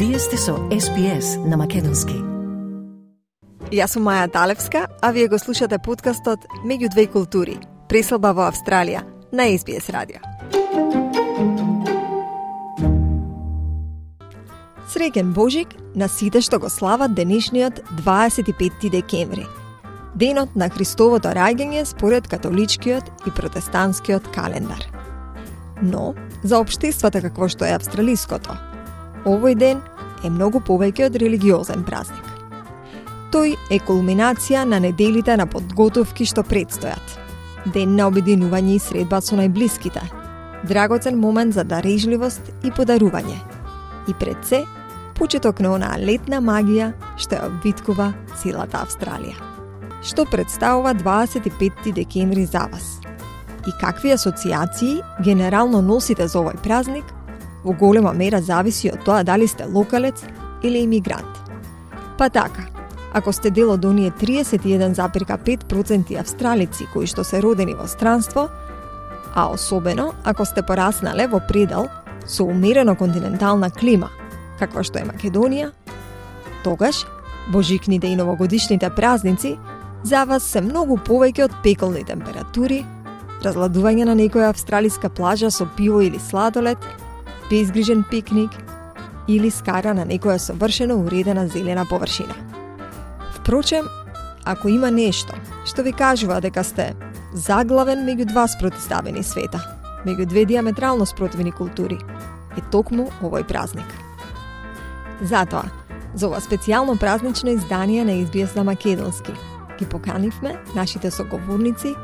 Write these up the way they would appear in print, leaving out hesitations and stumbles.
Вие сте со SPS на Македонски. Јас сум Маја Талевска, а вие го слушате подкастот Меѓу две култури, преселба во Австралија, на SBS радио. Среќен Божик на сите што го слават денешниот 25 декември, денот на Христовото раѓање според католичкиот и протестантскиот календар. Но, за општеството какво што е австралиското, овој ден е многу повеќе од религиозен празник. Тој е кулминација на неделите на подготовки што предстојат. Ден на обединување и средба со најблиските, драгоцен момент за дарежливост и подарување. И пред се, почеток на онаа летна магија што ја обвиткува целата Австралија. Што представува 25 декември за вас? И какви асоциации генерално носите за овој празник, во голема мера зависи од тоа дали сте локалец или имигрант. Па така, ако сте дел од оние 31,5% австралици кои што се родени во странство, а особено ако сте пораснале во предел со умерено континентална клима, каква што е Македонија, тогаш божикните и новогодишните празници за вас се многу повеќе од пеколни температури, разладување на некоја австралиска плажа со пиво или сладолед, безгрижен пикник или скара на некоја совршено уредена зелена површина. Впрочем, ако има нешто што ви кажува дека сте заглавен меѓу два спротивставени света, меѓу две диаметрално спротивни култури, е токму овој празник. Затоа, за ова специјално празнично издание на SBS на Македонски, ги поканивме нашите соговорници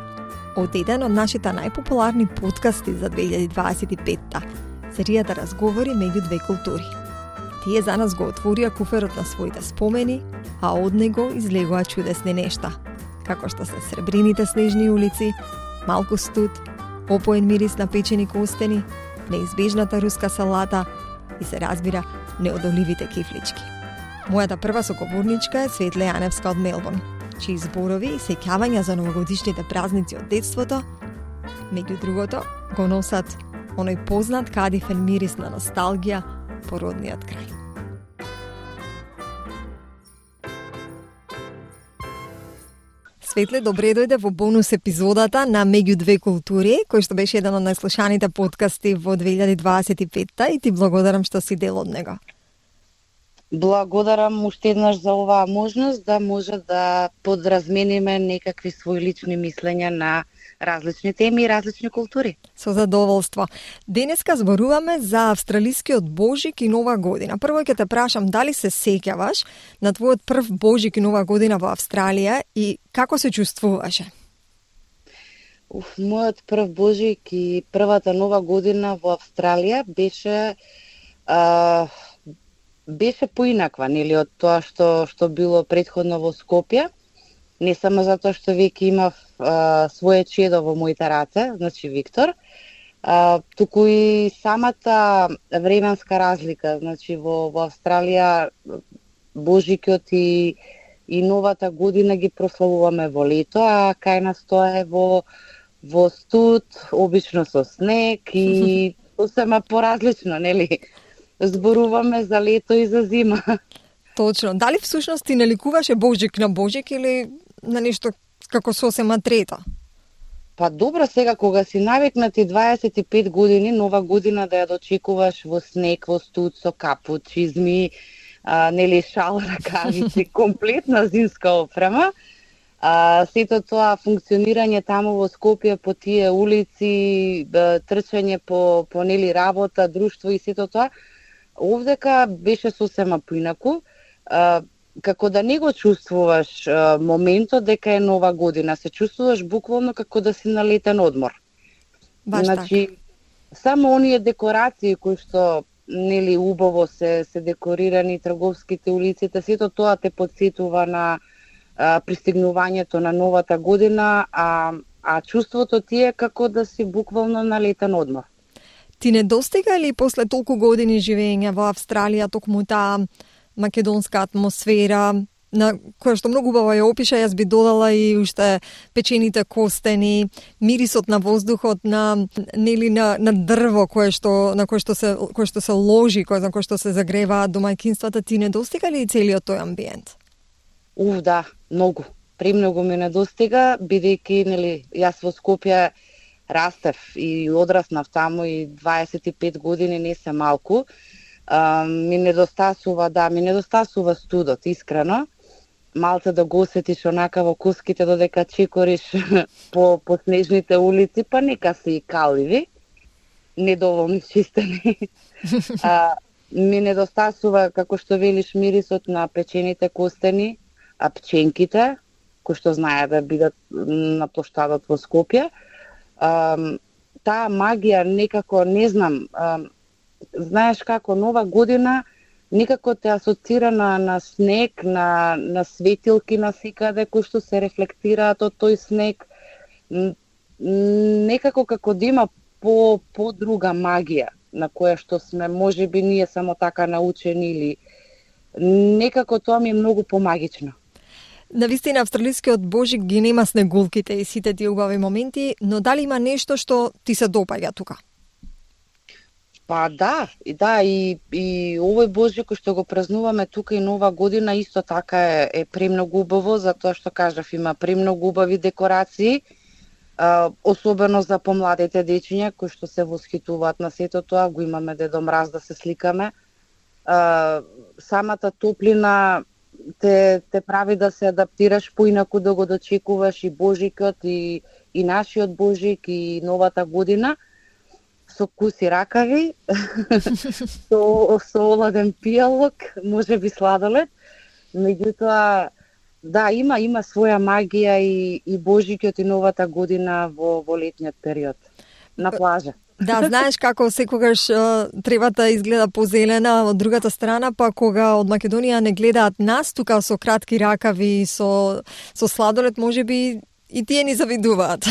од еден од нашите најпопуларни подкасти за 2025-та, серијата Разговори меѓу две култури. Тие за нас го отворија куферот на своите спомени, а од него излегоа чудесни нешта, како што се сребрините снежни улици, малку студ, опоен мирис на печени костени, неизбежната руска салата и се разбира неодоливите кифлички. Мојата прва соговорничка е Светле Јаневска од Мелбурн, чии зборови и сеќавања за новогодишните празници од детството, меѓу другото, го носат оној познат кадифен мирис на носталгија по родниот крај. Светле, добре дојде во бонус епизодата на Меѓу две култури, кој што беше еден од најслушаните подкасти во 2025-та и ти благодарам што си дел од него. Благодарам уште еднаш за оваа можност да може да подразмениме некакви своји лични мислења на различни теми и различни култури. Со задоволство. Денеска зборуваме за австралискиот Божик и Нова година. Прво ќе те прашам дали се сеќаваш на твојот прв Божик и Нова година во Австралија и како се чувствуваше? Мојот прв Божик и првата Нова година во Австралија беше поинаква, нели, од тоа што било претходно во Скопје. Не само затоа што веќе имав своје чедо во моите раце, значи Виктор, туку и самата временска разлика, значи во Австралија Божикот и Новата година ги прославуваме во лето, а кај нас тоа е во студ, обично со снег и сосема поразлично, нели? Зборуваме за лето и за зима. Точно. Дали всушност ти наликуваше Божик на Божик или на нешто како сосема трето? Па добро, сега кога си навикнати 25 години, Нова година да ја дочекуваш во снег, во студ, со капут, чизми, нели шал, ракавици, комплетна зимска опрема. Сето тоа функционирање таму во Скопје по тие улици, трчање по нели работа, друштво и сето тоа, овдека беше сосема поинаку. Како да не го чувствуваш моментот дека е Нова година, се чувствуваш буквално како да си на летен одмор. Значи, само оние декорации кои што нели убаво се декорирани, трговските улиците, сето тоа те потсетува на пристигнувањето на Новата година, а чувството ти е како да си буквално на летен одмор. Ти не достига ли после толку години живење во Австралија токму таа македонска атмосфера, на која што многу убаво ја опиша, јас би додала и уште печените костени, мирисот на воздухот, на дрво кое што се ложи, на кое што се загреваат домаќинствата. Ти недостига ли целиот тој амбиент? Да, многу. Премногу ми недостига, бидејќи јас во Скопје растев и одраснав таму и 25 години не се малку. Ми недостасува студот, искрено. Малце да го осетиш онака во коските додека чекориш по снежните улици, па нека се и каливи, недоволни чистени. Ми недостасува, како што велиш, мирисот на печените костени, а пченките, кои што знаат да бидат на плоштадот во Скопје. Таа магија некако, не знам, знаеш како, Нова година некако те асоцира на снег, на светилки насекаде кои што се рефлектираат од тој снег. Некако како да има по друга магија на која што сме можеби ние само така научени, или некако тоа ми е многу помагично. Навистина, австралискиот Божик ги нема снегулките и сите тие убави моменти, но дали има нешто што ти се допаѓа тука? Па да, и овој Божик кој што го празнуваме тука и Нова година исто така е премногу убаво, затоа што кажав, има премногу убави декорации, особено за помладите дечиња кои што се восхитуваат на сето тоа, го имаме Дедо Мраз да се сликаме. Самата топлина те прави да се адаптираш поинаку, да го дочекуваш и Божикот, и нашиот Божик, и Новата година. Со куси ракави, со оладен пијалок, може би сладолед. Меѓутоа, да, има своја магија и Божикот и Новата година во летниот период, на плажа. Да, знаеш како секогаш тревата изгледа позелена од другата страна, па кога од Македонија не гледаат нас тука со кратки ракави, со сладолед, можеби и тие ни завидуваат.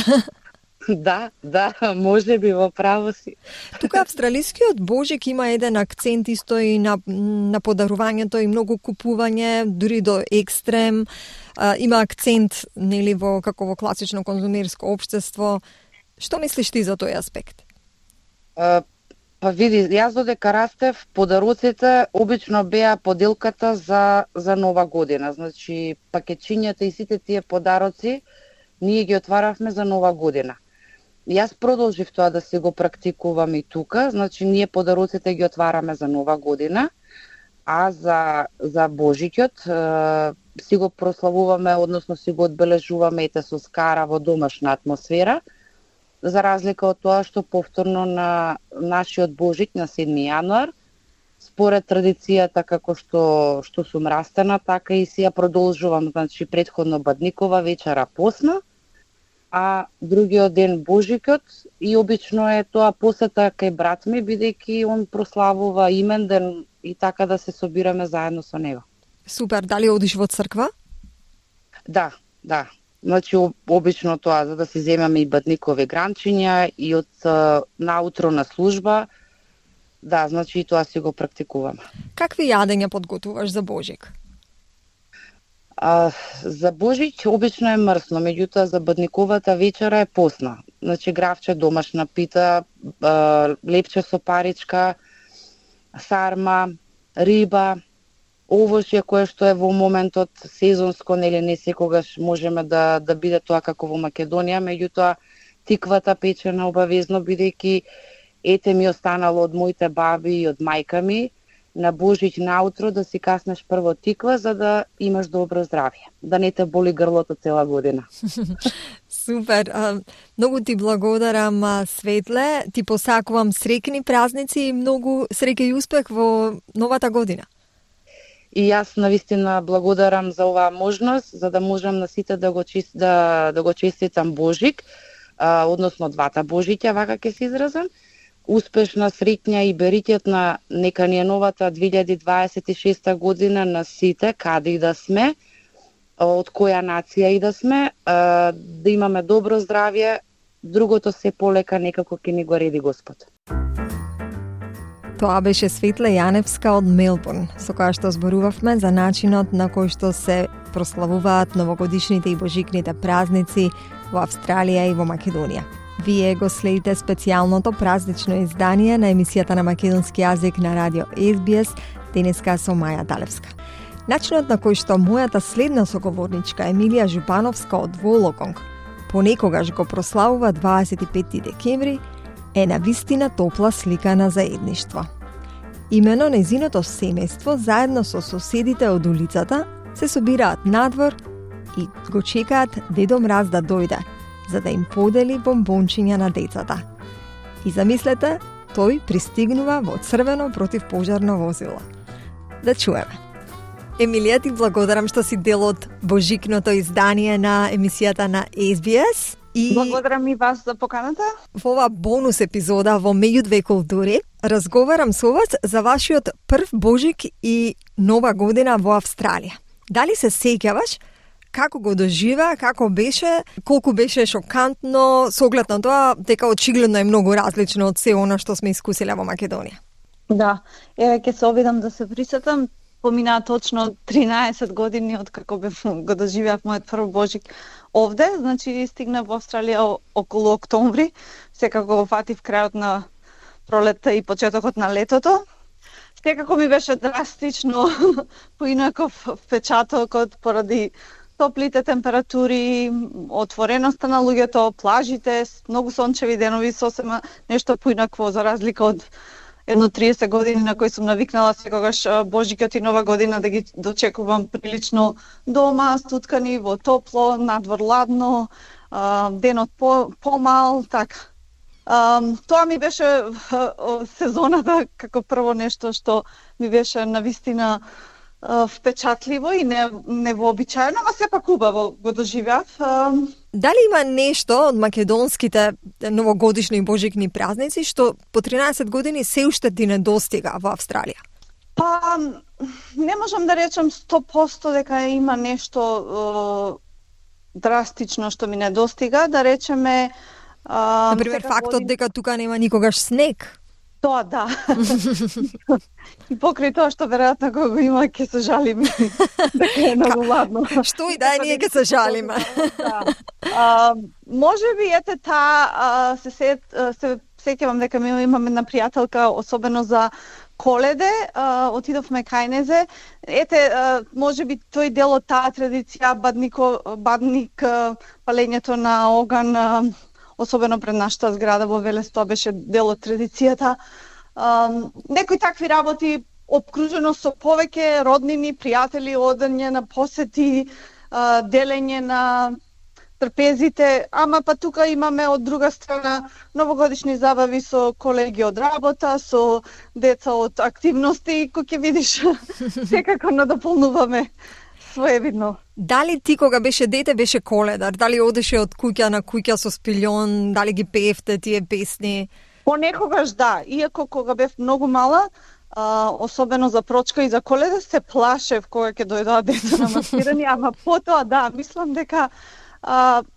Да, може би, во право си. Тука австралискиот Божик има еден акцент исто и на подарувањето и многу купување, дури до екстрем. Има акцент, како во класично конзумерско општество. Што мислиш ти за тој аспект? Па види, јас додека растев, подароците обично беа поделката за Нова година. Значи, пакетчињата и сите тие подароци ние ги отваравме за Нова година. Јас продолжив тоа да се го практикувам и тука, значи ние подароците ги отвараме за Нова година, а за Божикот си го прославуваме, односно си го одбележуваме со скара во домашна атмосфера, за разлика од тоа што повторно на нашиот Божик на 7 јануар, според традицијата како што сум растена, така и си ја продолжувам, значи претходно бадникова вечера посна, а другиот ден Божикот, и обично е тоа посета кај брат ми, бидејќи он прославува имен ден и така да се собираме заедно со него. Супер, дали одиш во црква? Да. Значи, обично тоа, за да си земаме и бадникови гранчиња и од наутро на служба, да, значи и тоа си го практикуваме. Какви јадења подготуваш за Божик? За Божик обично е мрсно, меѓутоа за бадниковата вечера е посна. Значи гравче, домашна пита, лепче со паричка, сарма, риба, овошје кое што е во моментот сезонско, не секогаш можеме да биде тоа како во Македонија, меѓутоа тиквата печена обавезно, бидејќи ете ми останало од моите баби и од мајка ми, на Божик наутро да си каснеш прво тиква за да имаш добро здравје, да не те боли грлото цела година. Супер, многу ти благодарам, Светле, ти посакувам среќни празници и многу среќа и успех во новата година. И јас навистина благодарам за оваа можност, за да можам на сите да го честитам Божик, односно двата Божиќа, вака ќе се изразам. Успешна, среќна и беритетна нека ни е новата 2026 година на сите, каде и да сме, од која нација и да сме, да имаме добро здравје, другото се полека некако ќе ни го реди Господ. Тоа беше Светла Јаневска од Мелбурн, со која што зборувавме за начинот на кој што се прославуваат новогодишните и божикните празници во Австралија и во Македонија. Вие го следите специјалното празнично издание на емисијата на македонски јазик на радио SBS, денеска со Маја Далевска. Начинот на кој што мојата следна соговорничка Емилија Жупановска од Вологонг понекогаш го прославува 25 декември е навистина топла слика на заедништво. Имено нејзиното семејство заедно со соседите од улицата се собираат надвор и го чекаат Дедо Мраз да дојде, за да им подели бомбончиња на децата. И замислете, тој пристигнува во црвено противпожарно возило. Да чуеме. Емилија, ти благодарам што си дел од божикното издание на емисијата на SBS. И благодарам и вас за поканата. Во ова бонус епизода во Меѓу две култури разговарам со вас за вашиот прв Божик и Нова година во Австралија. Дали се сеќаваш како го доживеа, како беше, колку беше шокантно, со оглед на тоа дека очигледно е многу различно од се она што сме искусиле во Македонија? Да, ќе се обидам да се присетам. Поминаа точно 13 години од како го доживеав мојот прв Божик овде, значи стигнав во Австралија околу октомври, секако го фатив крајот на пролетта и почетокот на летото. Секако ми беше драстично поинаков впечатокот поради топлите температури, отвореноста на луѓето, плажите, многу сончеви денови, сосема нешто поинакво за разлика од едно 30 години на кои сум навикнала секогаш Божикот и Нова година да ги дочекувам прилично дома, стуткани во топло, надвор ладно, денот помал, така. Тоа ми беше сезоната како прво нешто што ми беше навистина впечатливо и невообичаено, но сепак убаво го доживеав. Дали има нешто од македонските новогодишни и божикни празници што по 13 години се уште ти не достига во Австралија? Па, не можам да речам 100% дека има нешто драстично што ми не достига, да речеме... Например, фактот дека тука нема никогаш снег. Тоа да. И покрај тоа што веројатно кога го има ќе се жалиме. Дека е многу ладно. Што и да е, ние ќе се жалиме. Да. Можеби ете таа се сеќавам дека ми имаме една пријателка особено за Коледе, отидовме кај незе. Ете, можеби тој дел од таа традиција бадник, палењето на оган, особено пред нашата зграда во Велес, тоа беше дел од традицијата. Некои такви работи, обкружено со повеќе роднини, пријатели, одење на посети, делење на трпезите, ама па тука имаме од друга страна новогодишни забави со колеги од работа, со деца од активности, кој ќе видиш, секако надополнуваме своевидно. Дали ти кога беше дете беше коледар? Дали одеше од куќа на куќа со спилјон? Дали ги пеевте тие песни? Понекогаш да, иако кога бев многу мала, особено за прочка и за Коледа, се плашев кога ќе дојдоа деца на маскирани, ама потоа да, мислам дека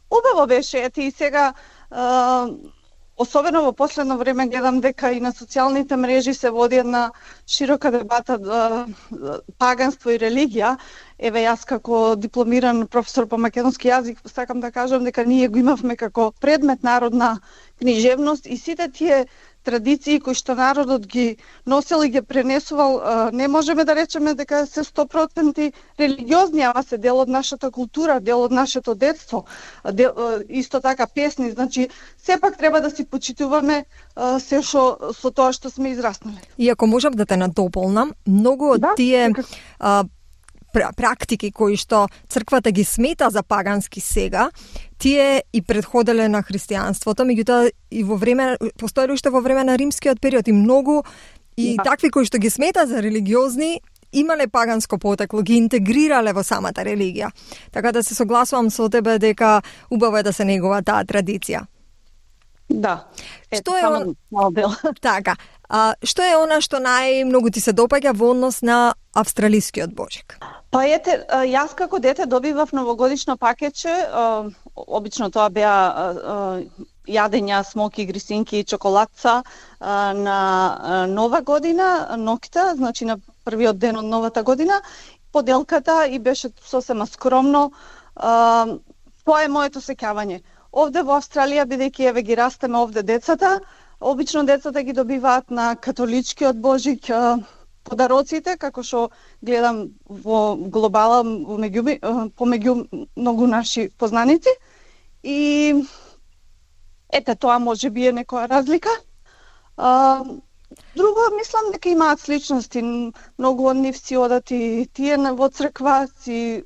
убаво беше, ете и сега особено во последно време гледам дека и на социјалните мрежи се води една широка дебата паганство и религија. Еве јас како дипломиран професор по македонски јазик сакам да кажам дека ние го имавме како предмет народна книжевност и сите тие традиции кои што народот ги носел и ги пренесувал, не можеме да речеме дека се 100% религиозни, ама се дел од нашата култура, дел од нашето детство, исто така песни, значи сепак треба да си почитуваме се што со тоа што сме израснали. И ако можам да те надополнам, многу од тие практики кои што црквата ги смета за пагански сега, тие и предходеле на христијанството, меѓутоа и во време постоеле уште во време на римскиот период и многу и такви кои што ги смета за религиозни имале паганско потекло, ги интегрирале во самата религија. Така да се согласувам со тебе дека убаво е да се негува таа традиција. Да. Што е така. Што е она што најмногу ти се допаѓа во однос на австралискиот Божик? Па ете, јас како дете добивав новогодишно пакетче, обично тоа беа јадења, смоки, грисинки, чоколадца на Нова година, ноќта, значи на првиот ден од новата година, поделката и беше сосема скромно. Тоа е моето сеќавање. Овде во Австралија, бидејќи еве ги растеме овде децата, обично децата ги добиваат на католичкиот Божик подароците, како што гледам во глобала помеѓу многу наши познаници. И ете, тоа може би е некоја разлика. Друго, мислам дека имаат сличности. Многу од нив си одат и тие во црква, си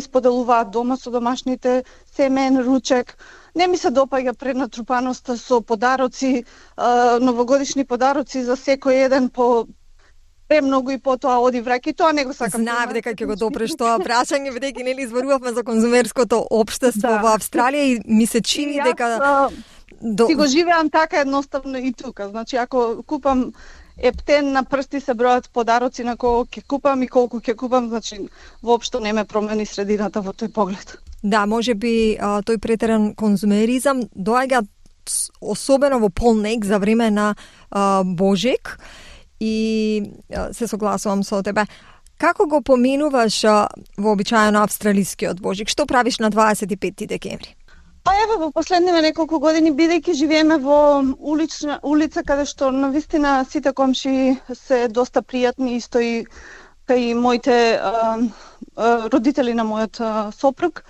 споделуваат дома со домашните, семен, ручек. Не ми се допаѓа пренатрупаноста со подароци, новогодишни подароци за секој еден по премногу и потоа оди враќај, тоа не го сакам. Знаев дека ќе го допреш тоа прашање, бидејќи нели зборувавме за конзумерското општество во Австралија и ми се чини дека си го живеам така едноставно и тука. Значи, ако купам ептен на прсти се бројат подароци на кого ќе купам и колку ќе купам, значи воопшто не ме промени средината во тој поглед. Да, може би тој претеран конзумеризам доаѓа особено во полнек за време на Божик и се согласувам со тебе. Како го поминуваш вообичаено австралискиот Божик? Што правиш на 25 декември? Па еве во последниве неколку години, бидејќи живееме во улица каде што навистина сите комши се доста пријатни, исто и кај моите родители на мојот сопруг,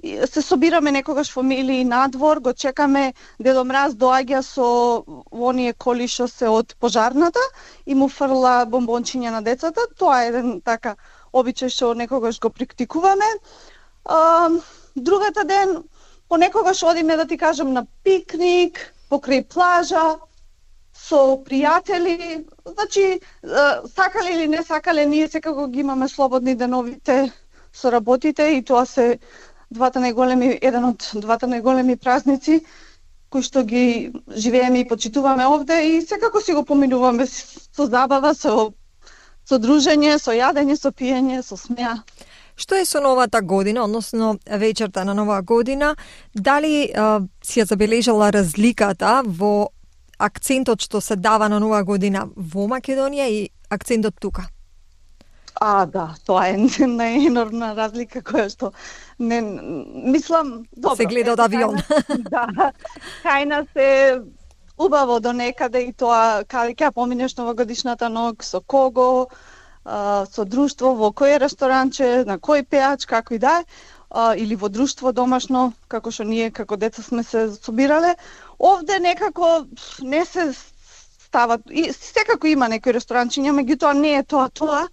се собираме некогаш фамилии надвор, го чекаме, Дедо Мраз доаѓа со оние коли што се од пожарната и му фрла бомбончиња на децата. Тоа е еден така обичај што некогаш го практикуваме. Другата ден понекогаш одиме, да ти кажам, на пикник, покрај плажа, со пријатели. Значи, сакале или не сакале, ние секако ги имаме слободни деновите со работите и тоа се еден од двата најголеми празници кои што ги живееме и почитуваме овде и секако си го поминуваме со забава, со дружење, со јадење, со пиење, со смеа. Што е со новата година, односно вечерта на нова година? Дали си ја забележала разликата во акцентот што се дава на нова година во Македонија и акцентот тука? Да, тоа е најенормна разлика која што не мислам, добро. Се гледа од авион. Да. Кај нас е убаво до некаде и тоа каде ќе поминеш новогодишната ноќ, со кого, со друштво, во кој ресторанче, на кој пеач, како и да е, или во друштво домашно, како што ние како деца сме се собирале. Овде некако не се стават, и секако има некои ресторанчиња, меѓутоа не е тоа.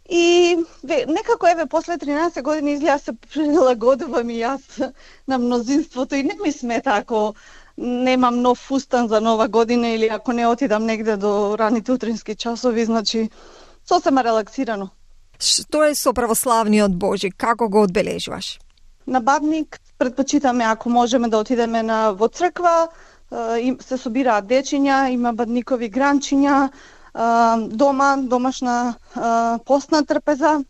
И некако еве после 13 години изгледа се прилагодувам и јас на мнозинството и не ми смета ако немам нов фустан за нова година или ако не отидам негде до раните утрински часови, значи сосема релаксирано. Што е со православниот Божик? Како го одбележуваш? На Бадник предпочитаме ако можеме да отидеме во црква, се собираат дечиња, има бадникови гранчиња, домашна постна трпеза.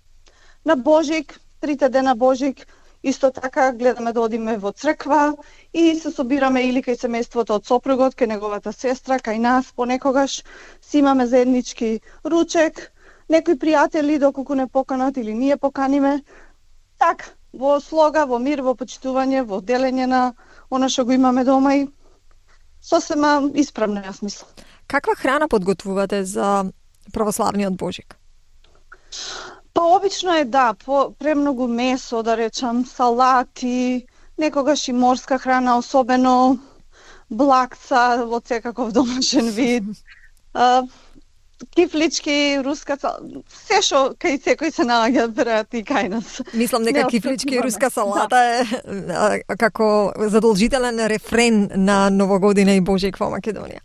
На Божик, 3 дена Божик, исто така гледаме да одиме во црква и се собираме или кај семејството од сопругот, кај неговата сестра, кај нас, понекогаш си имаме заеднички ручек, некои пријатели доколку не поканат или ние поканиме. Така, во слога, во мир, во почитување, во делење на она што го имаме дома и сосема исправно, јас мислам. Каква храна подготвувате за православниот Божик? Па обично е премногу месо, да речам, салати, некогаш и морска храна, особено блакца од секаков домашен вид, кифлички, руска салата, се што кај секој се наоѓа, веројатно и кај нас. Мислам дека кифлички и руска салата е како задолжителен рефрен на Новогодина и Божик во Македонија.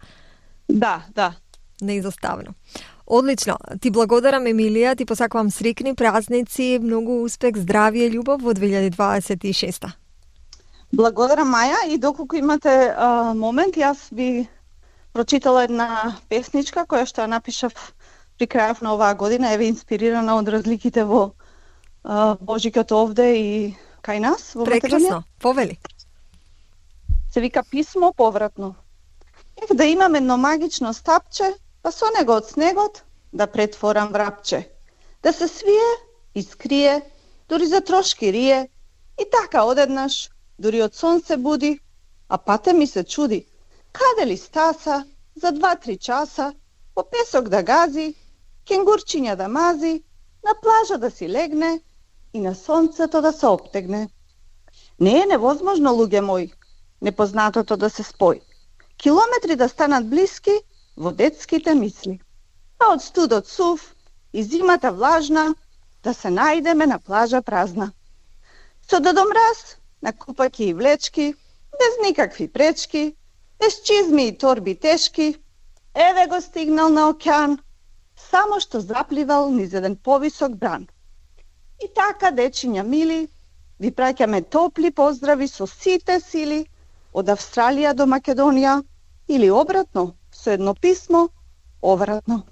Да. Неизоставно. Одлично. Ти благодарам, Емилија, ти посакувам срекни празници, многу успех, здравје и љубов во 2026. Благодарам, Маја, и доколку имате момент, јас би прочитала една песничка која што ја напишав при крајов на оваа година, еве инспирирана од разликите во Божикот овде и кај нас во Македонија. Прекрасно, повели. се вика писмо повратно. Да имам едно магично стапче, па со него од снегот да претворам врапче. Да се свие и скрие, дури за трошки рие, и така одеднаш, дури од сон се буди, а пате ми се чуди, каде ли стаса, за 2-3 часа, по песок да гази, кенгурчиња да мази, на плажа да си легне и на сонцето да се оптегне. Не е невозможно, луѓе мои, непознатото да се спои. Километри да станат блиски во детските мисли. А од студот сув и зимата влажна да се најдеме на плажа празна. Со Дедо Мраз на купаки и влечки, без никакви пречки, без чизми и торби тешки, еве го стигнал на океан, само што запливал низ еден повисок бран. И така, дечиња мили, ви праќаме топли поздрави со сите сили од Австралија до Македонија или обратно, со едно писмо, обратно.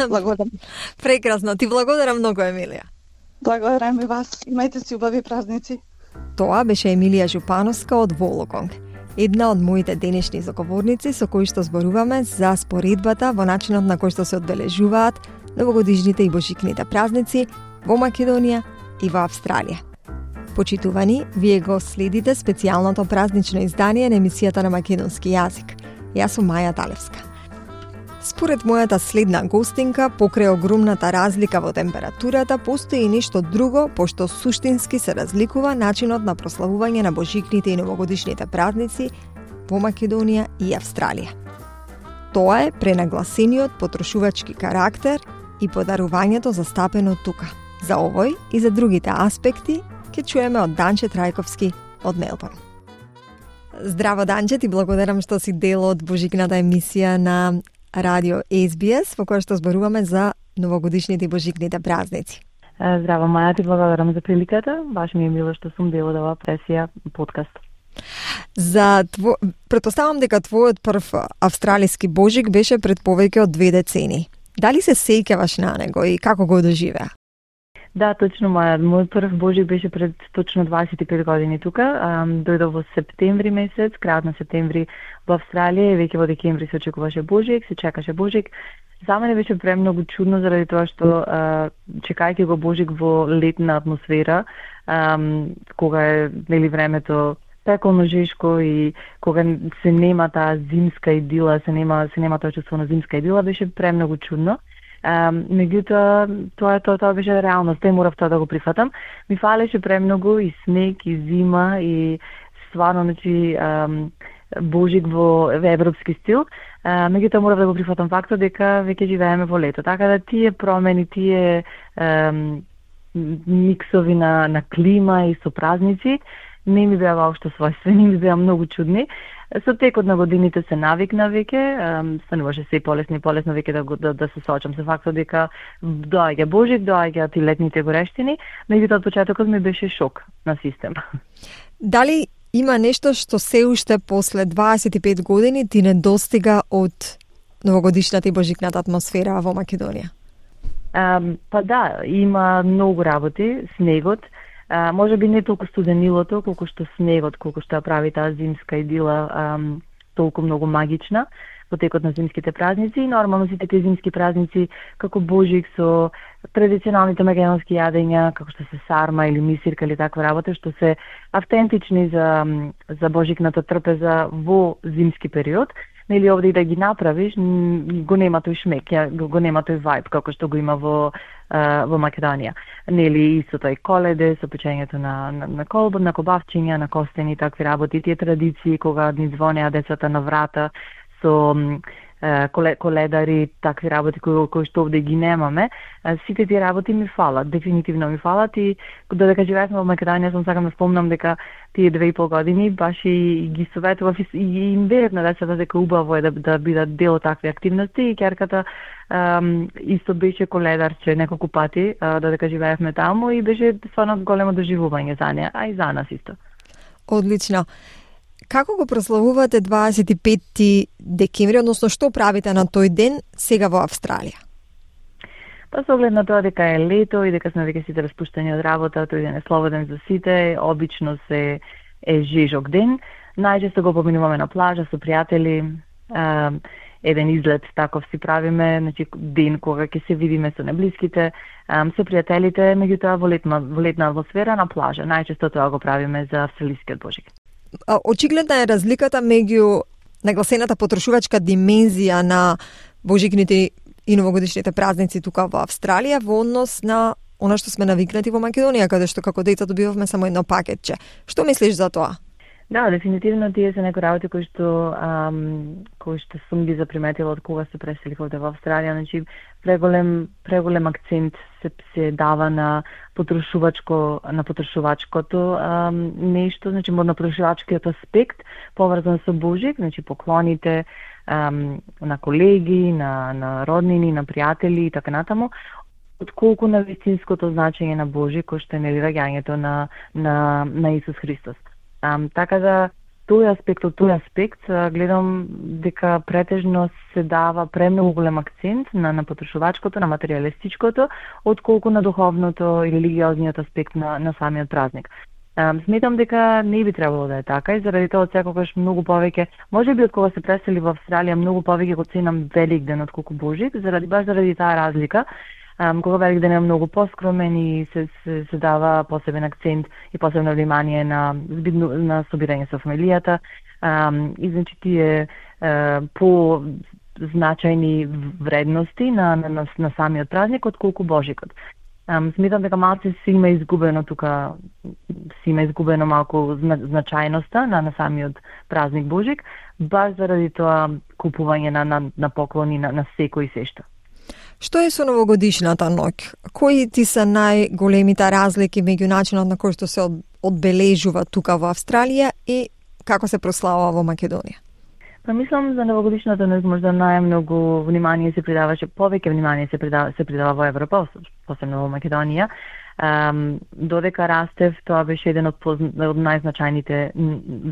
Благодарам. Прекрасно, ти благодарам многу, Емилија. Благодарам и вас. Имајте си убави празници. Тоа беше Емилија Жупановска од Волоконг, една од моите денешни заговорници со кои што зборуваме за споредбата во начинот на кој што се одбележуваат новогодишните и божикните празници во Македонија и во Австралија. Почитувани, вие го следите специјалното празнично издание на емисијата на македонски јазик. Јас сум Маја Талевска. Според мојата следна гостинка, покрај огромната разлика во температурата, постои и нешто друго, пошто суштински се разликува начинот на прославување на божикните и новогодишните празници во Македонија и Австралија. Тоа е пренагласениот потрошувачки карактер и подарувањето застапено тука. За овој и за другите аспекти ќе чуеме од Данче Трајковски од Мелбурн. Здраво, Данче, ти благодарам што си дел од божикната емисија на Радио SBS, во која што зборуваме за новогодишните и божикните празници. Здраво, Маја, ти благодарам за приликата. Баш ми е мило што сум дел од оваа пресија подкаст. Претпоставам дека твојот прв австралиски божик беше пред повеќе од 2 децени. Дали се сеќаваш на него и како го доживеа? Да, точно, Маја. Мојот прв божик беше пред точно 25 години тука. Дојдов во септември месец, крајот на септември во Австралија, и веќе во декември се очекуваше божик, се чекаше божик. За мене беше премногу чудно заради тоа што чекајќи го божик во летна атмосфера, кога е времето пеколно жешко и кога се нема таа зимска идила, се нема тоа чувство на зимска идила, беше премногу чудно. Меѓутоа, тоа беше реалност, морав тоа да го прифатам. Ми фалеше премногу и снег, и зима, и стварно, божик во европски стил. Меѓутоа, морав да го прифатам фактот дека веќе живееме во лето. Така да тие промени, тие миксови на клима и со празници не ми беа воопшто својствени, ми беа многу чудни. Со текот на годините се навикна веќе, стануваше се полесно и полесно веќе да се соочам со фактот дека доаѓа божик, доаѓаат и летните горештини, меѓутоа од почетокот ми беше шок на систем. Дали има нешто што се уште после 25 години ти недостига од новогодишната и божикната атмосфера во Македонија? Па да, има многу работи, снегот, може би не толку студенилото, колку што снегот, колку што ја прави таа зимска идила толку многу магична во текот на зимските празници. И нормално сите тие зимски празници, како божик со традиционалните македонски јадења, како што се сарма или мисирка или таква работа, што се автентични за божикната трпеза во зимски период. Нели овде и да ги направиш, го нема тој шмек, го нема тој вајб како што го има во Македонија. Нели и со тој коледе, со печењето на колбан, на кобавчиња, на костени и такви работи, тие традиции кога ни звонеа децата на врата со коледари, такви работи кои што овде ги немаме, сите тие работи ми фалат, дефинитивно ми фалат и додека живеевме во Македонија, сакам да спомнам дека тие 2,5 години баш и ги советував и им верев на децата дека убаво е да бидат дел од такви активности и ќерката исто беше коледарче неколку пати додека живеевме таму и беше стварно големо доживување за неа, а и за нас исто. Одлично. Како го прославувате 25 декември, односно што правите на тој ден сега во Австралија? Па со оглед на тоа дека е лето и дека сме веќе сите распуштени од работа, тој ден е слободен за сите, обично е жежок ден, Најчесто го поминуваме на плажа со пријатели, еден излет таков си правиме, значи ден кога ќе се видиме со неблиските, со пријателите, меѓутоа во летна атмосфера на плажа. Најчесто тоа го правиме за австралискиот Божик. Очигледна е разликата меѓу нагласената потрошувачка димензија на божикните и новогодишните празници тука во Австралија во однос на она што сме навикнати во Македонија, каде што како деца добивавме само едно пакетче. Што мислиш за тоа? Да, дефинитивно тие се некои работи кои што сум ги заприметила од кога се преселих овде во Австралија. Значи преголем акцент се дава на потрошувачкото нешто, значи на потрошувачкиот аспект поврзан со Божик, значи поклоните на колеги, на роднини, на пријатели и така натаму, отколку на вистинското значење на Божик, кој што е раѓањето на Исус Христос. Така да тој аспект гледам дека претежно се дава премногу голем акцент на потрошувачкото, на материјалистичкото, отколку на духовното и религиозниот аспект на самиот празник. Сметам дека не би требало да е така и заради тоа секогаш многу повеќе, можеби од кога се пресели во Австралија, многу повеќе го ценам Великден отколку Божик, заради таа разлика. Кога Великден е многу поскромен и се дава посебен акцент и посебно внимание на собирање со фамилијата, и значи тие по значајни вредности на самиот празник отколку Божикот. Сметам дека малку се има изгубено тука, малку значајноста на самиот празник Божик, баш заради тоа купување на поклони на секој и сешто. Што е со новогодишната ноќ? Кои ти се најголемите разлики меѓу начинот на кој што се одбележува тука во Австралија и како се прославува во Македонија? Па мислам за новогодишната ноќ можда најмногу внимание се придаваше, повеќе внимание се придава во Европа, посебно во Македонија. Додека растев, тоа беше еден од најзначајните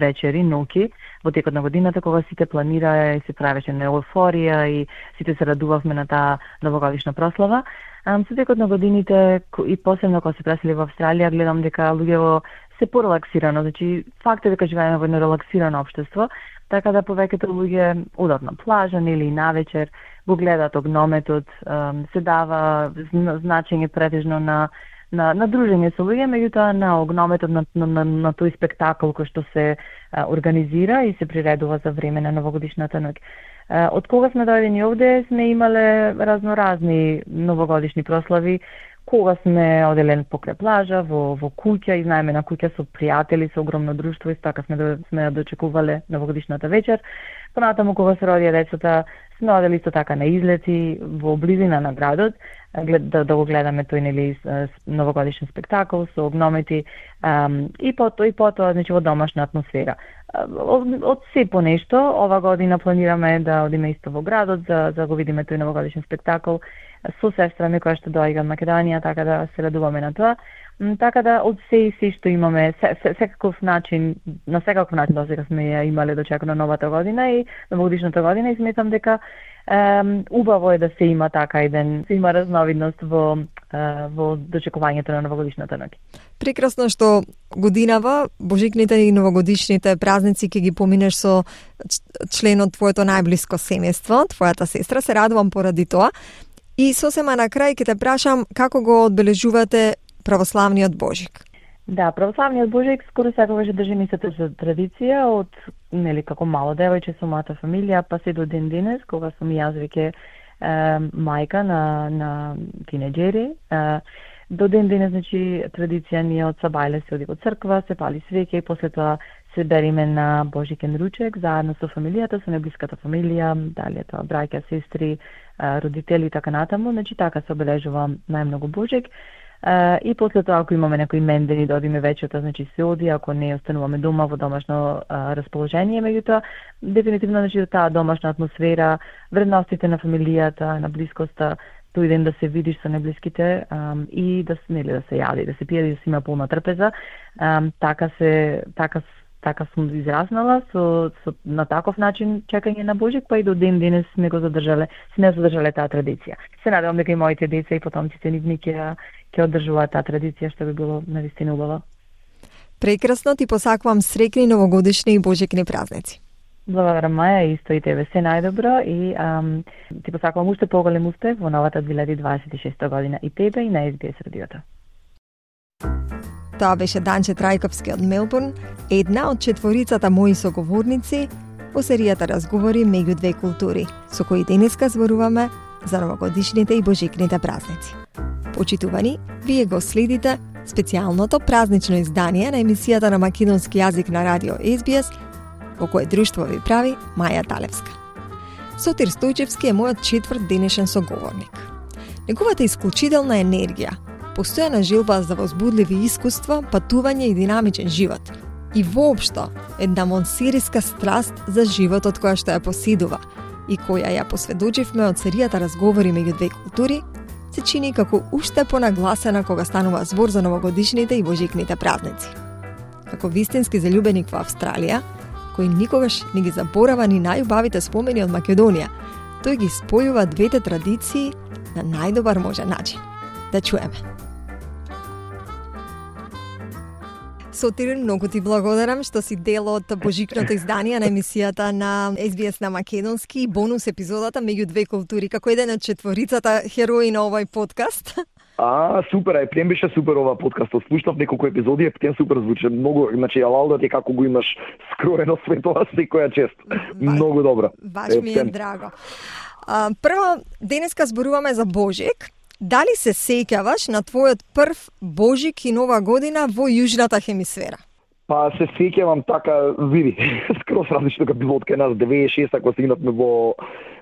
вечери, ноќи, во текот на годината, кога сите планира и се правеше на еуфорија и сите се радувавме на таа новогодишна прослава. Со текот на годините и посебно кога се пресели во Австралија, гледам дека луѓето се порелаксирано, значи факт е дека живееме во едно релаксирано општество, така да повеќето луѓе одат на плажа или навечер, го гледаат огнометот, се дава значење претежно на дружење со луѓе, меѓутоа на огнометот на тој спектакл кој што се организира и се приредува за време на новогодишната ноќ. Од кога сме дојдени овде, сме имале разноразни новогодишни прослави, кога сме оделен покрај плажа, во куќа, изнаемена куќа со пријатели, со огромно друштво, и така сме дочекувале новогодишната вечер. Понатаму кога се родија децата, сме одели исто така на излети во близина на градот, да го гледаме тој новогодишен спектакл со огномети и потоа значи во домашна атмосфера. Од се по нешто, ова година планираме да одиме исто во градот за го видиме тој новогодишен спектакл со сестра ми која што доаѓа од Македонија, така да се радуваме на тоа. Така да од се што имаме, на секаков начин досега сме ја имале дочекано новата година и новогодишната година, и сметам дека убаво е да се има така еден, се има разновидност во дочекувањето на новогодишната ноќ. Прекрасно што годинава, божикните и новогодишните празници ќе ги поминеш со член од твоето најблиско семејство, твојата сестра. Се радувам поради тоа. И сосема на крај ќе те прашам како го одбележувате православниот Божик. Да, православниот Божик скоро секогаш држи истата традиција од како мало девојче со мојата фамилија, па се до ден денес, кога сум јас веќе мајка на тинеџери. До ден денес, значи, традиција ни од сабајле се оди во црква, се пали свеќе и после тоа се бериме на Божикен ручек заедно со фамилијата, со неблиската фамилија, дали е тоа браќа, сестри, родители и така натаму, значи така се обележува најмногу Божик. И после тоа, ако имаме некои мендени да одиме вечерта, значи се оди, ако не остануваме дома во домашно расположение, меѓутоа дефинитивно значи таа домашна атмосфера, вредностите на фамилијата, на блискоста, тој ден да се видиш со неблиските и да се јади, да се пие, да се има полна трпеза, така сум израснала на таков начин чекање на Божик, па и до ден денес сме задржале таа традиција. Се надевам дека и моите деца и потомците нивни ќе одржуваат таа традиција, што би било навистина убаво. Прекрасно, ти посакувам среќни новогодишни и божикни празници. Благодарам, Маја, исто и тебе се најдобро и ти посакувам уште поголем успех во новата 2026 година и тебе и на SBS радиото. Тоа беше Данче Трајковски од Мелбурн, една од четворицата мои соговорници во серијата разговори меѓу две култури, со кои денеска зборуваме за новогодишните и божикните празници. Почитувани, вие го следите специјалното празнично издание на емисијата на македонски јазик на радио SBS, во кое друштво ви прави Маја Талевска. Сотир Стојчевски е мојот четврт денешен соговорник. Неговата исклучителна енергија, постојана желба за возбудливи искуства, патување и динамичен живот и воопшто една монсериска страст за животот која што ја поседува и која ја посведочивме од серијата разговори меѓу две култури, се чини како уште понагласена кога станува збор за новогодишните и божикните празници. Како вистински залюбеник во Австралија, кој никогаш не ги заборава ни најубавите спомени од Македонија, тој ги спојува двете традиции на најдобар можен начин. Да чуеме. Сотир, многу ти благодарам што си дел од божикното издание на емисијата на SBS на македонски, бонус епизодата меѓу две култури, како еден од четворицата херои на овој подкаст. Супер, ептен беше супер ова подкаст. Слушнав неколку епизоди, ептен супер звучи многу, значи алалда ти како го имаш скроено све тоа секоја чест. Многу добро. Баш ми е драго. Прво, денеска зборуваме за Божик. Дали се сеќаваш на твојот прв Божик и Нова година во јужната хемисфера? Па се сеќавам така, види, скроз различно како било од кај нас 96-та кога стигнавме во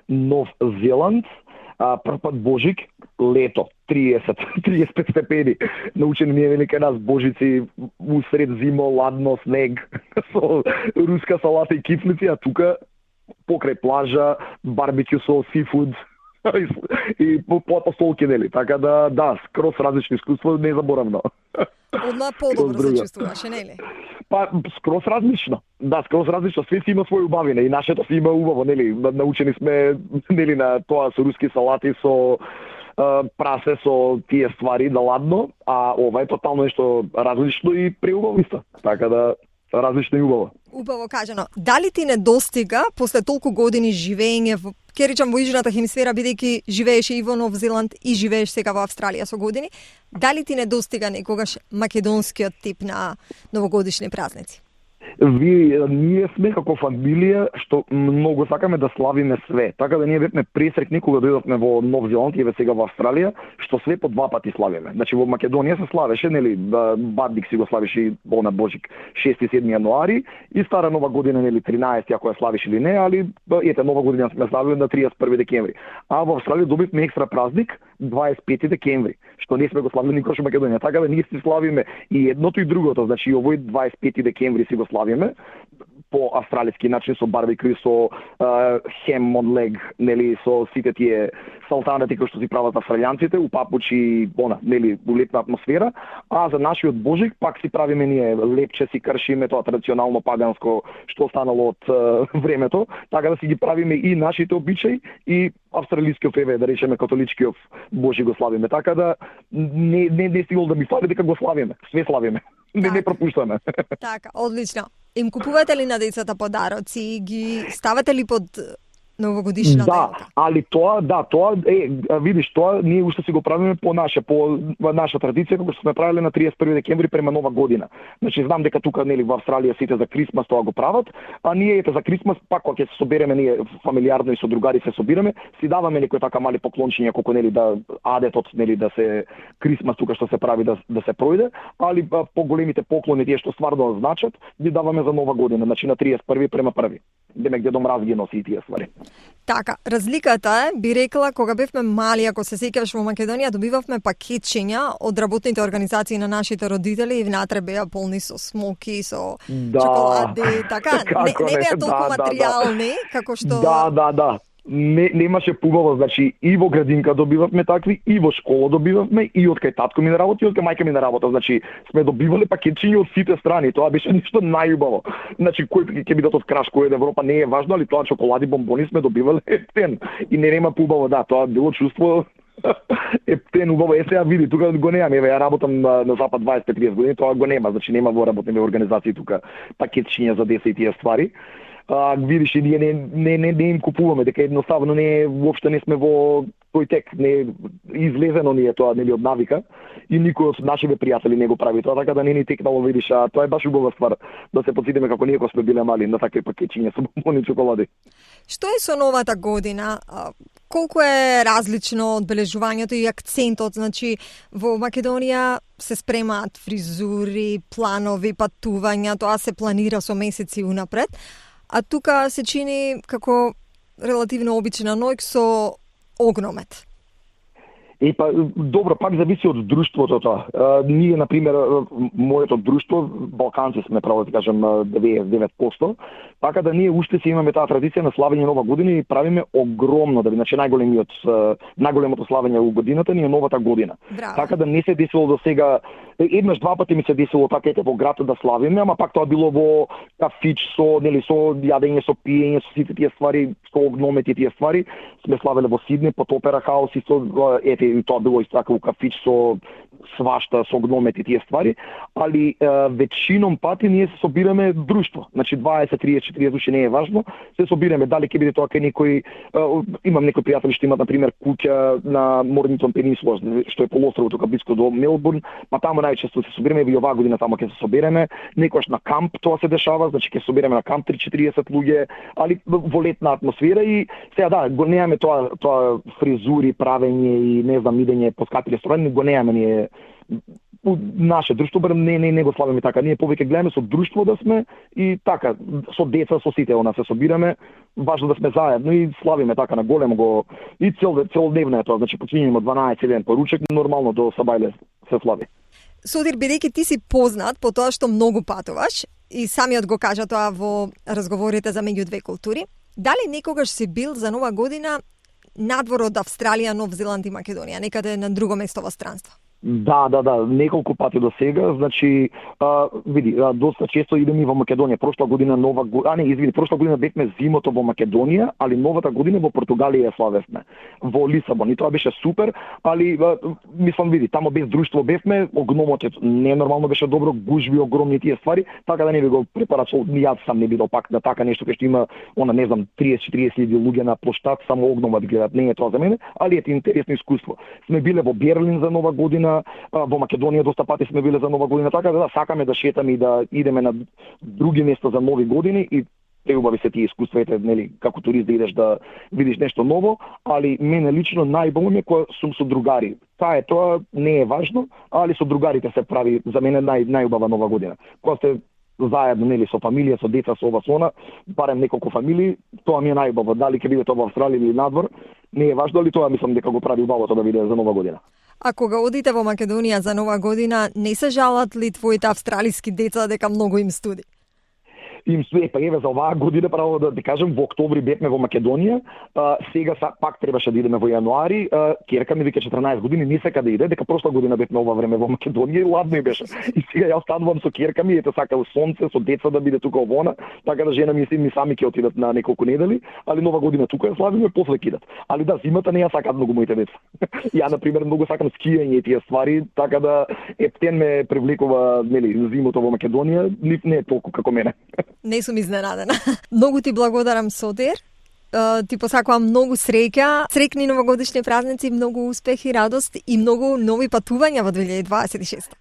Нов Зеланд. Прв пат Божик, лето, 30-35 степени. Научени ние вели кај нас божици усред зимо, ладно, снег, со руска салата и кифлици, а тука покрај плажа, барбекю со сифуд и по столки, нели? Така да, скроз различно искуство, незаборавно. Одма подобро се чувствуваше, нели? Па, скроз различно. Да, скроз различно. Све си има свој убавина и нашето си има убаво, нели? Научени сме, нели, на тоа со руски салати, со прасе, со тие ствари да ладно, а ова е тотално нешто различно и преубаво исто. Така да, различно и убаво. Убаво кажано. Дали ти не достига после толку години живење во, ке речам, во јужната хемисфера, бидејќи живееше и во Нов Зеланд и живееш сега во Австралија со години, дали ти не достига некогаш македонскиот тип на новогодишни празници? Ние сме како фамилија што многу сакаме да славиме све. Така да ние бевме пресрекни кога дојдовме во Нов Зеланд и сега во Австралија, што све по два пати славиме. Значи во Македонија се славеше, нели, Бадник си го славише и на Божик 6-7 јануари и Стара Нова година, нели, 13 ако ја славиш или не, али ете Нова година сме славили на 31 декември. А во Австралија добивме екстра празник 25 декември, што не сме го славили никош во Македонија. Така да ние си славиме и едното и другото, значи овој 25 декември си го славиме по австралиски начин со барбекю, со хем од лег, нели, со сите тие салтанати кои што си прават австралијанците, у папучи, нели, у лепна атмосфера, а за нашиот Божик пак си правиме ние лепче, си кршиме тоа традиционално паганско што останало од времето, така да си ги правиме и нашите обичаи и австралискиот да речеме католичкиот Божик го славиме. Така да не стигол да ми фали дека го славиме, све славиме. Не пропуштаме. Така, одлично. Им купувате ли на децата подароци? Ги ставате ли под новогодишна елка? Али тоа, видиш, тоа ние уште си го правиме по наша традиција, како што сме правиле на 31 декември према Нова година. Значи знам дека тука, нели, во Австралија сите за Крисмас тоа го прават, а ние ете за Крисмас пак кога ќе се собереме ние фамилиарно и со другари се собираме, си даваме некои така мали поклончиња колку, нели, да адетот, нели, да се Крисмас тука што се прави да се пројде, али поголемите поклони тие што стварно значат, ги даваме за Нова година, значи на 31 према 1. Демек Дедо Мраз ги носи и тие ствари. Така, разликата е, би рекла, кога бевме мали, ако се сеќаваш во Македонија, добивавме пакетчиња од работните организации на нашите родители и внатре беа полни со смоки, со чоколади, така, не беа толку материјални, како што... Да. Немаше пубаво, значи и во градинка добивавме такви, и во школа добивавме, и од кај татко ми на работа, и од кај мајка ми на работа. Значи сме добивале пакетчиња од сите страни. Тоа беше нешто најубаво. Значи кој ќе бидат од Краш, кој од Европа не е важно, али тоа чоколади, бомбони сме добивале ефтен. И нема пубаво, да, тоа било чувство Ептен убаво, сега види, тука го немам, еве ја работам на Запад 25-30 години, тоа го нема, значи нема во работни организации тука пакетчиња за деца и тие ствари. Видиш, и ние не им купуваме, дека едноставно воопшто не сме во тој тек, не излезено ни е тоа, нели, од навика, и никој од нашите пријатели не го прави тоа, така да не ни текнало, видиш, а тоа е баш убава ствар, да се потсетиме како ние кога сме биле мали на такви пакетчиња со бонбони чоколади. Што е со новата година? Колку е различно одбележувањето и акцентот? Значи, во Македонија се спремаат фризури, планови, патувања, тоа се планира со месеци унапред, а тука се чини како релативно обична ноќ со огномет. Па, добро, пак зависи од друштвото тоа. Ние, например, моето друштво, балканци сме, право да кажам, 99%, така да ние уште си имаме таа традиција на славење нова година и правиме огромно, значи најголемото славење во годината ни е новата година. Браво. Така да не се десило до сега, еднаш два пати ми се десило така во град да славиме, ама пак тоа било во кафич со јадење, со пиење, со сите тие ствари, со огномет и тие ствари. Сме славеле во Сиднеј, под Опера хаус и со и тоа било исто така во кафич со свашта, со огномет и тие ствари, али вечином пати ние се собираме друштво. Значи 20, 30, 40 души не е важно, се собираме, дали ќе биде тоа кај некој, имам некои пријатели што имаат на пример куќа на Морнингтон пенисула, што е полуостровот тука близко до Мелбурн, па таму најчесто се собираме, и оваа година таму ќе се собереме, некогаш на камп тоа се дешава, значи ќе собереме на камп 3-40 луѓе, али во летна атмосфера и сега да, го немаме тоа фризури, правење и не знам идење по скапи ресторани, го немаме ние наше друштво, барем не го славиме така. Ние повеќе гледаме со друштво да сме и така, со деца, со сите се собираме, важно да сме заедно и славиме така на големо го и целодневно е тоа, значи почињеме од 12 ден поручек, нормално до Сабајле се слави. Сотир, бидејќи ти си познат по тоа што многу патуваш и самиот го кажа тоа во разговорите за меѓу две култури, дали некогаш си бил за нова година надвор од Австралија, Нов Зеланд и Македонија, некаде на друго место во странство? Да, неколку пати до сега, значи, види, доста често идем и во Македонија. Прошла година прошла година бевме зимото во Македонија, али новата година во Португалија ја славевме, во Лисабон. И тоа беше супер, али, мислам, види, тамо без друштво бевме, огномотот не нормално беше добро, гужви огромни тие ствари, така да не би го препарачал, јас сам не бидел пак на така нешто кај што има, не знам, 30-40 луѓе на плоштад, само огномот гледат, не е тоа за мене, али е интересно искуство. Сме биле во Берлин за нова година, во Македонија доста пати сме биле за нова година, така да сакаме да шетаме и да идеме на други места за нови години и преубави се тие искуства, нели, како турист да идеш да видиш нешто ново, али мене лично најбавно ми е кога сум со другари. Тоа не е важно, али со другарите се прави за мене најубава нова година. Кога сте заедно, нели, со фамилија, со деца, со ова, со она, барем неколку фамилии, тоа ми е најубаво. Дали ќе биде тоа во Австралија или надвор, не е важно, али тоа мислам дека го прави убавото да биде за нова година. А кога одите во Македонија за нова година, не се жалат ли твоите австралиски деца дека многу им студи? Им студи, па еве за оваа година, право да ти кажам, во октомври бевме во Македонија, сега пак требаше да идеме во јануари, ќерка ми вика 14 години, не сака да иде, дека прошла година бевме ова време во Македонија и ладно и беше. И сега ја останувам со ќерка ми, ете сака сонце, со деца да биде тука овона, така да жена ми сами ќе отидат на неколку недели, али нова година тука ја славиме, после кидат. Али да, зимата не ја сакаат многу моите деца. Ја на пример многу сакам скијање и тие ствари, така да ептен ме привлекува, нели, зимото во Македонија, нив не е толку како мене. Не сум изненадена. Многу ти благодарам, Сотир. Ти посакувам многу среќа, срекни новогодишни празници, многу успех и радост и многу нови патувања во 2026.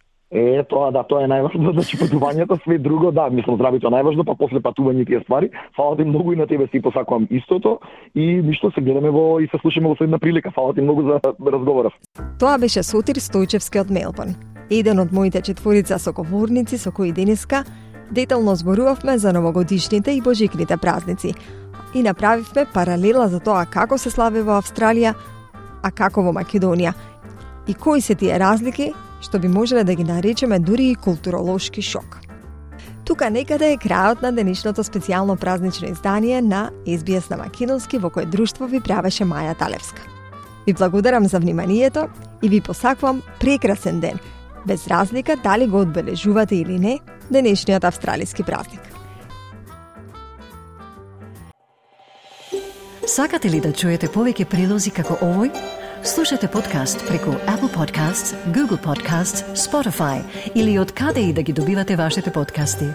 Тоа е најважно, значи патувањето, све друго, да, мислам здравето најважно, па после патување тие ствари. Фала ти многу и на тебе си посакувам истото и ништо се гледаме и се слушаме во следна прилика. Фала ти многу за разговоров. Тоа беше Сотир Стојчевски од Мелбурн, еден од моите четворица соговорници со кои денеска детално зборувавме за новогодишните и божикните празници и направивме паралела за тоа како се слави во Австралија, а како во Македонија и кои се тие разлики што би можеле да ги наречеме дури и културолошки шок. Тука некаде е крајот на денешното специјално празнично издание на SBS на македонски во кое друштво ви правеше Маја Талевска. Ви благодарам за вниманието и ви посакувам прекрасен ден, без разлика дали го одбележувате или не денешниот австралиски празник. Сакате ли да чуете повеќе прилози како овој? Слушате подкаст преку Apple Podcasts, Google Podcasts, Spotify или од каде и да ги добивате вашите подкасти.